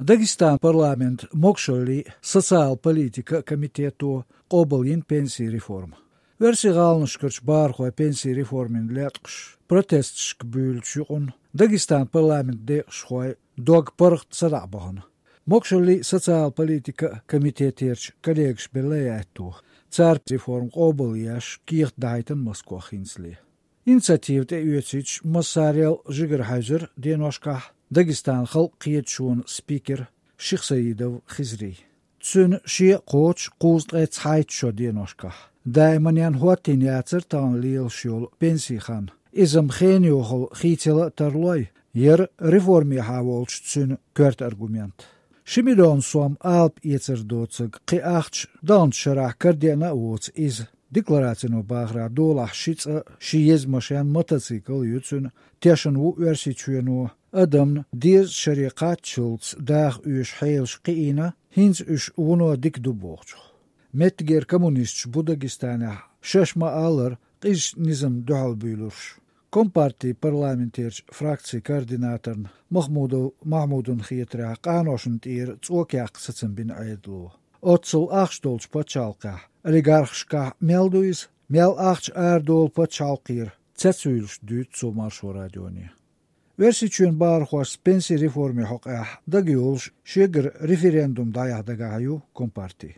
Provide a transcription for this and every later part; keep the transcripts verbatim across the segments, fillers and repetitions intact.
Дагестан парламент могашаллий социал политика комитето къобалйина пенсийн реформа. Оьрсийн гӀаланашкарчу бахархой пенсийн реформин латкъаш протесташка буьйлучу юкъанна Дагестан парламент декъашхой дог паргӀат садаӀа бахана. Могашаллий социал политика комитетерчу коллегаш белла яьтто. Цара реформа къобалъеш кехат дахьийтина Москох хӀинцале. Инициатива тӀеоьцуьйтуш массарел жигара хьаьвзира деношкахь Дагестан халкъан кхеташонан спикер Шихсаидов Хизри. Цуьнан шен а кхочуш кхузткъе цхьайтта шо деношкахь. Даиманна хӀоттийна яцара тахана лелаш йолу пенсийн хан. Иза-м хенан йохалла хийцала а тарлой, яра реформехьа волчу цуьнан коьрта аргумент. Ши миллион сом алапа эцар доцург кхин ахча даханчу шарахь карадеана а воцу иза. Декларацино бахарехь, долахь ши цӀа, ши еза машен, мотоцикл ю цуьнан, тешна ву Оьрсийчоьно адамна дезачу шаре кхаччалц даха оьшу хьелаш кхиийна, хӀинца уьш вуно дика ду бохучух. Меттигера коммунисташ бу Дагестанехь, шаьш ма-аллара, къизачу низамна дуьхьал буьйлурш. Компартин парламентерчу фракцин координаторна Махмудов Махмудна хетарехь, къаношна тӀера цӀока яккха сацам бина Ӏедало. Оццул ахча долчу пачхьалкхехь, олигархашкахь мел ду иза, мел ахча арадолу пачхьалкхера, цецвуьйлуш дуьйцу цо Маршо радионе. Оьрсийчоьнан бахархошца пенсийн реформин хьокъехь дагайолуш шегара референдум дӀаяхьа дагахь ю компарти.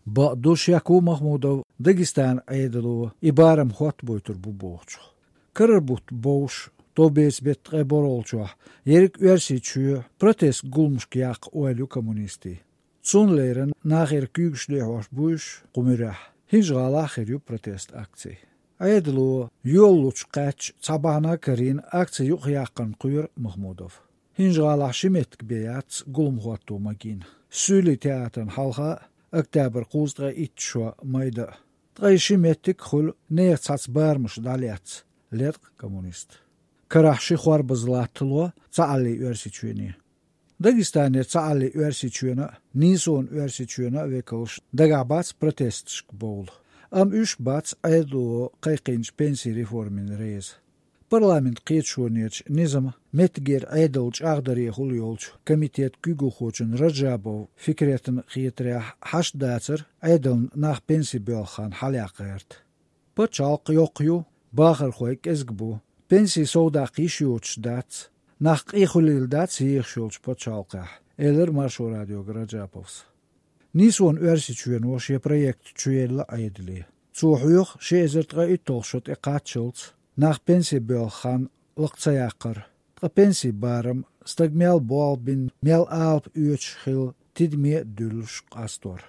Бакъду, шек ву Махмудов, Дагестанан Ӏедало и барам хӀоттабойтур бу бохучух. Карара бутт бовш, товбеца беттан ткъе борхӀалгӀачохь ерриг Оьрсийчоь протест гуламашка яккха ойла ю коммунистийн. Цунна леррина нахера куьйгаш лехьош бу уьш кху муьрехь. ХӀинжа-ГӀалахь хир ю протест акци. Ӏедало йолалучу кхаьчча цхьа бахьана карийна акци юкъахъяккхарна кхоьру Махмудов. ХӀинжа-ГӀалахь ши меттиг бен яц гулам хӀотто магийна. Суьйлийн театрна хьалха а, октябрь кхузткъе итт шо майда а. Ткъе ши меттиг а хуьлу нехан цхьацца барамаш дӀалецна, леткъа коммунист. Карахь ши хорбаза латтало Цхьааллин Оьрсийчоьне. Дагестанера Цхьааллин Оьрсийчоьнан а, Нийсонан Оьрсийчоьнан а векалш дагахь бац протесташка бовла. Амма уьш бац Ӏедало кхайкхийначу пенсийн реформина реза. Парламентан кхеташонерчу низаман меттигера Ӏедал чӀагӀдарехула йолчу комитетан куьйгалхочун Раджабов Фикретан хетарехь, хьашт дацара Ӏедална нах пенси боьлху хан хьалаяккха гӀерта. Пачхьалкх йоккха ю, бахархой кӀезиг бу, пенси совдаккха йиш йоцуш дац, нах къехулийла дац ехаш йолчу пачхьалкхехь, элира Маршо радиога Раджаповс. Нийсонан Оьрсийчоьно шен проект чуелла Ӏедале. Цо хьоьху ши эзар ткъе итталгӀа шо тӀекхаччалц нах пенси боьлху хан лакха ца яккхар, ткъа пенсийн барам, стаг мел болх бина, мел алапа оьцуш хилла тидаме а дуьллуш къастор.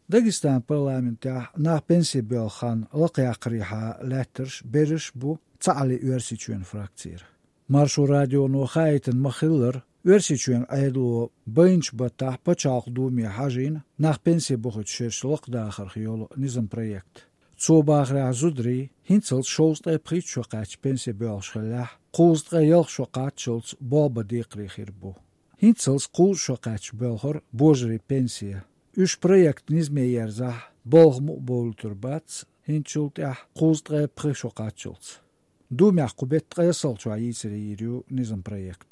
Дагестанан парламентехь нах пенси боьлху хан лакхаяккхарехьа лаьттарш берриш а бу Цхьааллин Оьрсийчоьнан фракцера. Маршо радионо хаийтина ма-хиллара, Оьрсийчоьнан Ӏедало байначу баттахь Пачхьалкхан Думе хьажийна нах пенси бохуьйту шераш лакхадахарх йолу низаман проект. Цо бахарехь, зударий, хӀинццалц шовзткъе пхийтта шо кхаьчча пенси боьлхуш хиллехь, кхузткъе ялх шо кхаччалц болх бан декхаре хир бу. ХӀинццалц кхузткъа шо кхаьчча боьлхура божарийн пенси. Уьш проект низаме ерзахь, балха мукъа бовлуьйтур бац, хӀинцачул тӀаьхьа кхузткъе пхи шо кхаччалц. Думехь кху беттан ткъесналгӀачохь йийцаре йийр ю низаман проект.